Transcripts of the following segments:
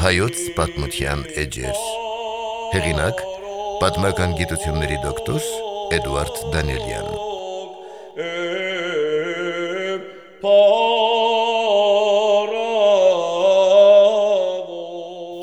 Հայոց պատմության էջեր հեղինակ պատմական գիտությունների դոկտոր Էդուարդ Դանիելյան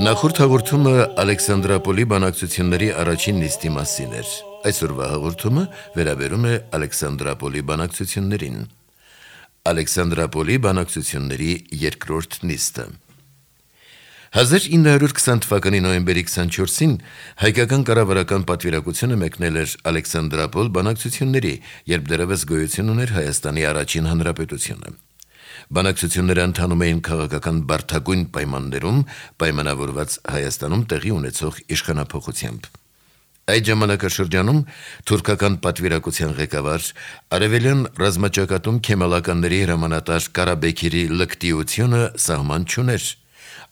Նախորդ հաղորդումը Ալեքսանդրապոլի բանակցությունների առաջին նիստի մասին էր։ Այսօրվա հաղորդումը վերաբերում է Ալեքսանդրապոլի բանակցություններին։ Ալեքսանդրապոլի բանակցությունների երկրորդ նիստը 1920 թվականի նոյեմբերի 24-ին հայկական կառավարական պատվիրակությունը մեկնել էր Ալեքսանդրապոլ բանակցությունների, երբ դեռևս գոյություն ուներ Հայաստանի առաջին հանրապետությունը։ Բանակցությունները ընթանում էին քաղաքական բարդագույն պայմաններում, պայմանավորված Հայաստանում տեղի ունեցող իշխանափոխությամբ։ Այդ ժամանակաշրջանում թուրքական պատվիրակության ղեկավար արևելյան ռազմաճակատում քեմալականների հրամանատար Կարաբեքիրի լկտիությունը սահման չուներ։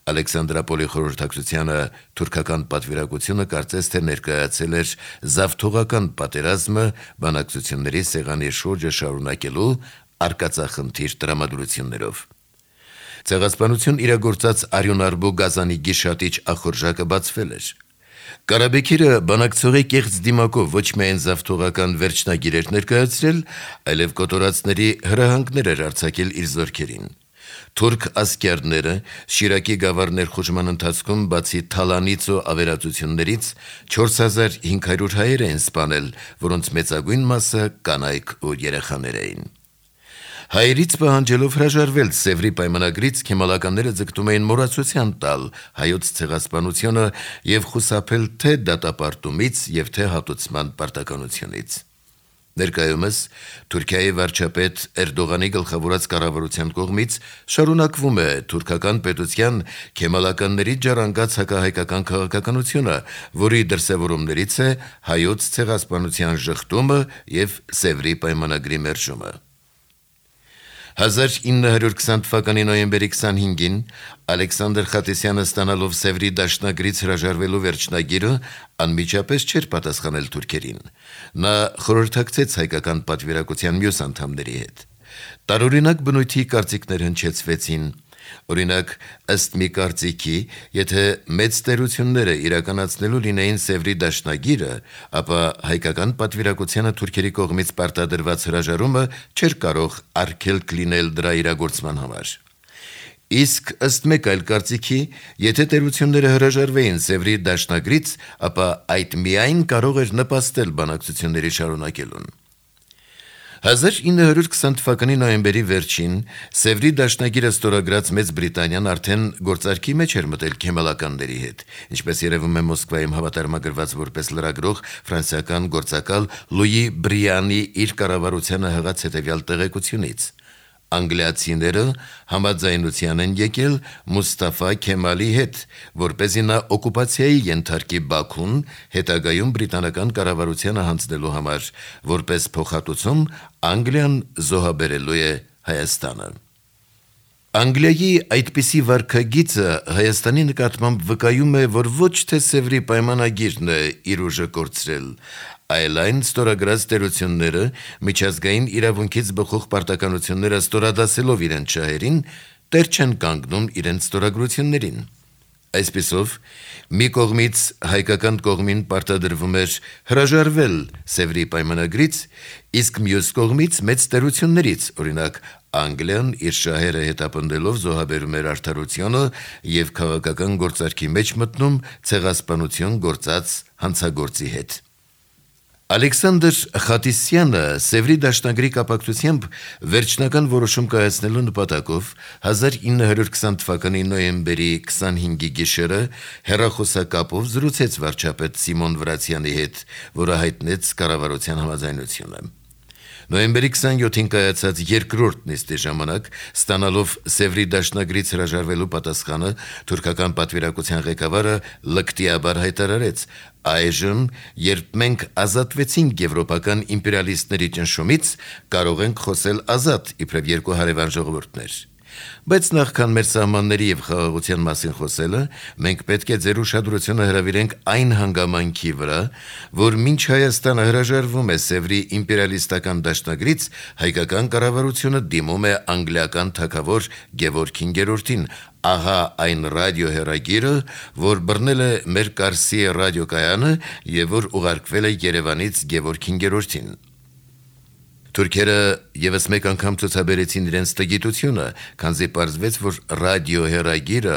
Ալեքսանդրապոլի խորհրդակցությանը թուրքական պատվիրակությունը կարծես թե ներկայացել էր զավթողական պատերազմը բանակցությունների սեղանի շուրջը շարունակելու արկածախնդիր տրամադրություններով։ Ցեղասպանություն իրագործած Արյունարբու գազանի գիշատիչ ախորժակը բացվել էր։ Կարաբեքիրը բանակցողի կեղծ դիմակով ոչ միայն զավթողական վերջնագիր էր ներկայացրել, այլև կոտորածների հրահանգներ էր արձակել իր զորքերին։ Թուրք ասկերները Շիրակի գավառ ներխուժման ընթացքում բացի թալանից ու ավերածություններից 4500 հայեր էին սպանել, որոնց մեծագույն մասը կանայք ու երեխաներ էին։ Հայերից պահանջելով հրաժարվել Սևրի պայմանագրից քեմալականները ձգտում էին մոռացության տալ հայոց ցեղասպանությունը եւ խուսափել թե դատապարտումից եւ թե հատուցման պարտականությունից։ Ներկայումս Թուրքիայի վարչապետ Էրդողանի գլխավորած կառավարության կողմից շարունակվում է թուրքական պետության քեմալականների ջարանկած հակահայկական քաղաքականությունը, որի դրսևորումներից է հայոց ցեղասպանության ժխտումը եւ Սևրի պայմանագրի մերժումը։ 1920 թվականի նոյեմբերի 25-ին Ալեքսանդր Խատիսյանը ստանալով Սևրի դաշնագրից հրաժարվելու վերջնագիրը անմիջապես չէր պատասխանել թուրքերին։ Նա խորհրդակցեց հայկական պատվիրակության մյուս անդամների հետ։ Տարօրինակ բնույթի կարծիքներ հնչեցվեցին։ Օրինակ, ըստ մի կարծիքի, եթե մեծ տերությունները իրականացնելու լինեին Սևրի դաշնագիրը, ապա հայկական պատվիրակությանը թուրքերի կողմից պարտադրված հրաժարումը չէր կարող արգելք լինել դրա իրագործման համար։ Իսկ ըստ մեկ այլ կարծիքի, եթե տերությունները հրաժարվեին Սևրի դաշնագրից, ապա այդ միայն կարող էր նպաստել բանակցությունների շարունակելուն։ 1920 թվականի նոյեմբերի վերջին Սևրի դաշնագիրը ստորագրած Մեծ Բրիտանիան արդեն գործարքի մեջ էր մտել քեմալականների հետ, ինչպես երևում է Մոսկվայում հավատարմագրված որպես լրագրող ֆրանսիական գործակալ Լուի Բրիանի իր կառավարությանը հղած հետևյալ տեղեկությունից։ Անգլիացիները համաձայնության են եկել Մուստաֆա Քեմալի հետ, որպեսզի նա օկուպացիայի ենթարկի Բաքուն հետագայում բրիտանական կառավարությանը հանձնելու համար, որպես փոխհատուցում Անգլիան զոհաբերելու է Հայաստանը։ Անգլիայի այդպիսի վարքագիծը Հայաստանի նկատմամբ վկայում է, որ ոչ թե Սևրի պայմանագիրն է իր ուժը կորցրել, այլ այն ստորագրած տերությունները միջազգային իրավունքից բխող պարտականությունները ստորադասելով իրենց շահերին, տեր չեն կանգնում իրենց ստորագրություններին։ Այսպիսով, մի կողմից հայկական կողմին պարտադրվում էր հրաժարվել Սևրի պայմանագրից, իսկ մյուս կողմից մեծ տերություններից, օրինակ Անգլիան իր շահերը հետապնդելով զոհաբերում էր արդարությունը եւ քաղաքական գործարքի մեջ մտնում ցեղասպանություն գործած հանցագործի հետ։ Ալեքսանդր Խատիսյանը Սևրի դաշնագրի կապակցությամբ վերջնական որոշում կայացնելու նպատակով 1920 թվականի նոյեմբերի 25-ի գիշերը հեռախոսակապով զրուցեց վարչապետ Սիմոն Վրացյանի հետ, որը հայտնեց կառավարության համաձայնությունը։ Նոյեմբերի 27-ին կայացած երկրորդ նիստի ժամանակ, ստանալով Սևրի դաշնագրից հրաժարվելու պատասխանը, թուրքական պատվիրակության ղեկավարը լկտիաբար հայտարարեց. «Այժմ, երբ մենք ազատվեցինք եվրոպական իմպերիալիստների ճնշումից, կարող ենք խոսել ազատ, իբրև երկու հարևան ժողովուրդներ։ Բայց նախքան մեր սահմանների եւ խաղաղության մասին խոսելը, մենք պետք է ձեր ուշադրությունը հրավիրենք այն հանգամանքի վրա, որ մինչ Հայաստանը հրաժարվում է Սևրի իմպերիալիստական դաշնագրից, հայկական կառավարությունը դիմում է անգլիական թագավոր Գևորգ 5-ին, ահա այն ռադիոհեռագիրը, որ բռնել է մեր Կարսի ռադիոկայանը եւ որ ուղարկվել է Երևանից Գևորգ 5-ին։ Թուրքերը եւս մեկ անգամ ցուցաբերեցին իրենց տգիտությունը, քանզի պարզվեց, որ ռադիոհեռագիրը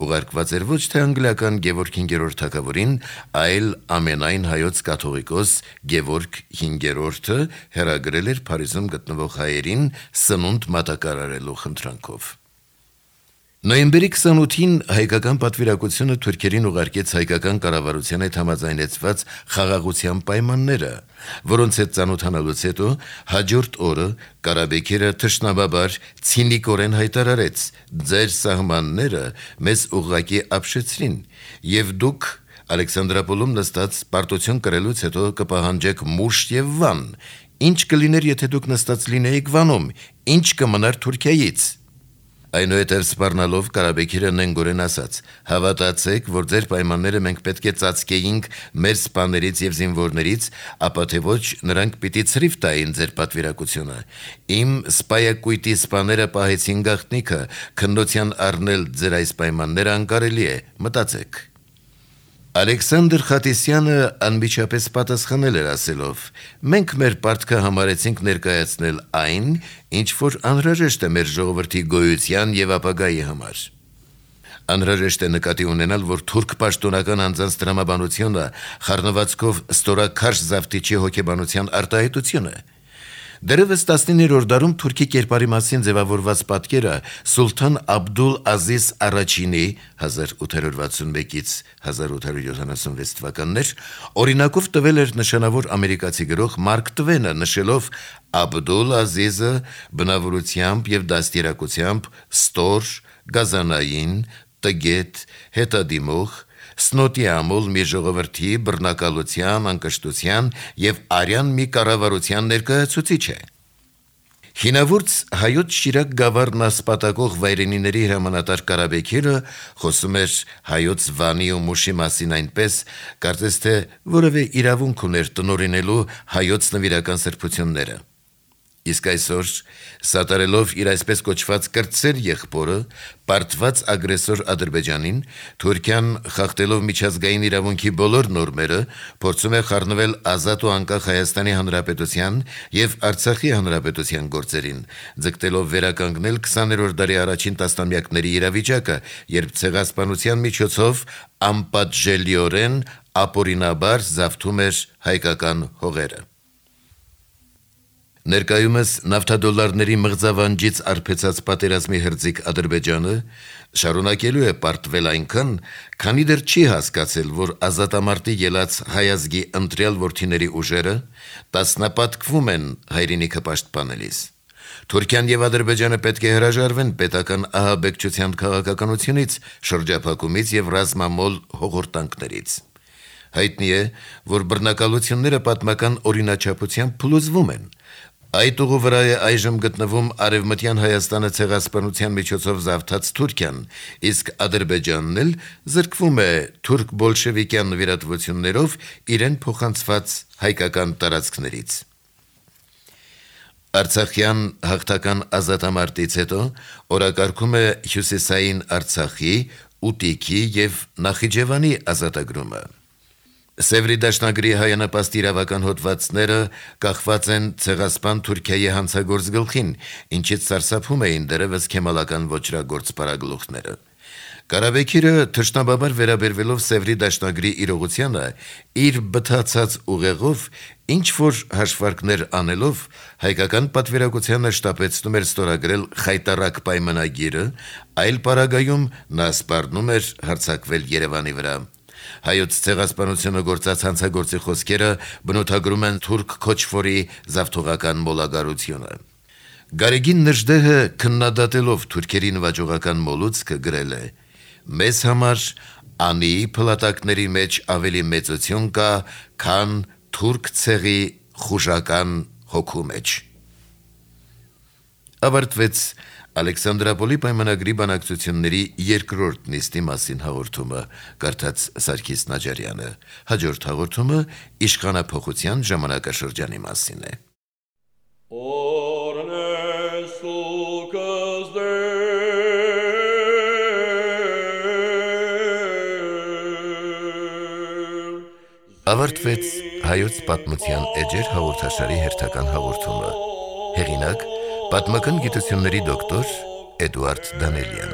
ուղարկված էր ոչ թե անգլիական Գևորգ 5-րդ թագավորին, այլ ամենայն հայոց կաթողիկոս Գևորգ 5-րդը հեռագրել էր Փարիզում գտնվող հայերին սնունդ մատակարարելու խնդրանքով։ Նոյեմբերի 28-ին հայկական պատվիրակությունը թուրքերին ուղարկեց հայկական կառավարության հետ համաձայնեցված խաղաղության պայմանները, որոնց հետ ծանոթանալուց հետո հաջորդ օրը Ղարաբեգերը թշնամաբար ցինիկորեն հայտարարեց. «Ձեր սահմանները մեզ ուղղակի ապշեցրին, եւ դուք Ալեքսանդրապոլում նստած պարտություն կրելուց հետո կպահանջեք մուշտ եւ վան։ Ինչ կլիներ, եթե դուք նստած լինեիք Վանում, ինչ կմնար Թուրքիայից»։ Այնուհետև սպառնալով Ղարաբեգերը նենգորեն ասաց. «Հավատացեք, որ ձեր պայմանները մենք պետք է ծածկեինք մեր սպաներից եւ զինվորներից, ապա թե ոչ նրանք պիտի ցրիվ տային ձեր պատվիրակությունը։ Իմ սպայակույտի սպաները պահեցին գաղտնիքը, քննության առնել ձեր այս պայմանները անկարելի է, մտածեք»։ Ալեքսանդր Խատիսյանը անմիջապես պատասխանել էր ասելով. «Մենք մեր պարտքը համարեցինք ներկայացնել այն, ինչ որ անհրաժեշտ է մեր ժողովրդի գոյության եւ ապագայի համար։ Անհրաժեշտ է նկատի ունենալ, որ թուրք պաշտոնական անձանց տրամաբանությունը խառնվածքով ստորաքարշ զավթիչի հոգեբանության արտահայտություն է։ Դեռևս 19-րդ դարում թուրքի կերպարի մասին ձևավորված պատկերը Սուլթան Աբդուլ Ազիզ Արաչինի 1861-1876 թվականներ օրինակով տվել էր նշանավոր ամերիկացի գրող Մարկ Տվենը, նշելով Աբդուլ Ազիզը բնավորությամբ եւ դաստիարակությամբ ստոր, գազանային, տգետ, հետադիմող, սնոտի ամուլ մի ժողովրդի բռնակալության, անկշտության եւ արյան մի կառավարության ներկայացուցիչ է։ Հինավուրց հայոց Շիրակ գավառն ասպատակող վայրենիների հրամանատար Ղարաբեգերը խոսում էր հայոց Վանի ու Մուշի մասին այնպես, կարծես թե որևէ իրավունք ուներ տնօրինելու հայոց նվիրական սրբությունները։ Իսկ այսօր, սատարելով իր այսպես կոչված կրտսեր եղբորը, պարտված ագրեսոր Ադրբեջանին, Թուրքիան խախտելով միջազգային իրավունքի բոլոր նորմերը, փորձում է խառնվել ազատ ու անկախ Հայաստանի Հանրապետության եւ Արցախի Հանրապետության գործերին, ձգտելով վերականգնել 20-րդ դարի առաջին տասնամյակների իրավիճակը, երբ ցեղասպանության միջոցով անպատժելիորեն ապօրինաբար զավթում էր հայկական հողերը։ Ներկայումս նավթադոլարների մղձավանջից արբեցած պատերազմի հրձիկ Ադրբեջանը շարունակելու է պարտվել այնքան, քանի դեռ չի հասկացել, որ ազատամարտի ելած հայազգի ընտրյալ որդիների ուժերը տասնապատկվում են հայրենիքը պաշտպանելիս։ Թուրքիան եւ Ադրբեջանը պետք է հրաժարվեն պետական ահաբեկչության քաղաքականությունից, շրջափակումից եւ ռազմամոլ հողորտանքներից։ Հայտնի է, որ բռնակալությունները պատմական օրինաչափությամբ փլուզվում են։ Այդ ուղու վրա է այժմ գտնվում Արևմտյան Հայաստանը ցեղասպանության միջոցով զավթած Թուրքիան, իսկ Ադրբեջանն էլ զրկվում է թուրք բոլշևիկյան նվիրատվություններով իրեն փոխանցված հայկական տարածքներից։ Արցախյան հաղթական ազատամարտից հետո օրակարգում է հյուսիսային Արցախի, Ուտիքի եւ Նախիջևանի ազատագրումը։ Սևրի դաշնագրի հայանապաստ իրավական հոդվածները կախված են ցեղասպան Թուրքիայի հանցագործ գլխին, ինչից սարսափում էին դեռևս քեմալական ոճրագործ պարագլուխները։ Ղարաբեգերը թշնամաբար վերաբերվելով Սևրի դաշնագրի իրողությանը, իր բթացած ուղեղով ինչ որ հաշվարկներ անելով հայկական պատվիրակությանը շտապեցնում էր ստորագրել խայտառակ պայմանագիրը, այլ պարագայում նա սպառնում էր հարձակվել Երևանի վրա։ Հայոց ցեղասպանությունը գործած հանցագործի խոսքերը բնութագրում են թուրք քոչվորի զավթողական մոլագարությունը։ Գարեգին Նժդեհը քննադատելով թուրքերի նվաճողական մոլուցքը գրել է. «Մեզ համար անի փլատակների մեջ ավելի մեծություն կա, քան թուրք ցեղի խուժական հոգու մեջ»։ Ավարտվեց Ալեքսանդրապոլի պայմանագրի բանակցությունների երկրորդ նիստի մասին հաղորդումը, կարդաց Սարգիս Նաջարյանը։ Հաջորդ հաղորդումը իշխանափոխության ժամանակաշրջանի մասին է։ Ավարտվեց հայոց պատմության էջեր հաղորդաշարի հերթական հաղորդումը։ Հեղինակ՝ պատմական գիտությունների դոկտոր Էդուարդ Դանելյան։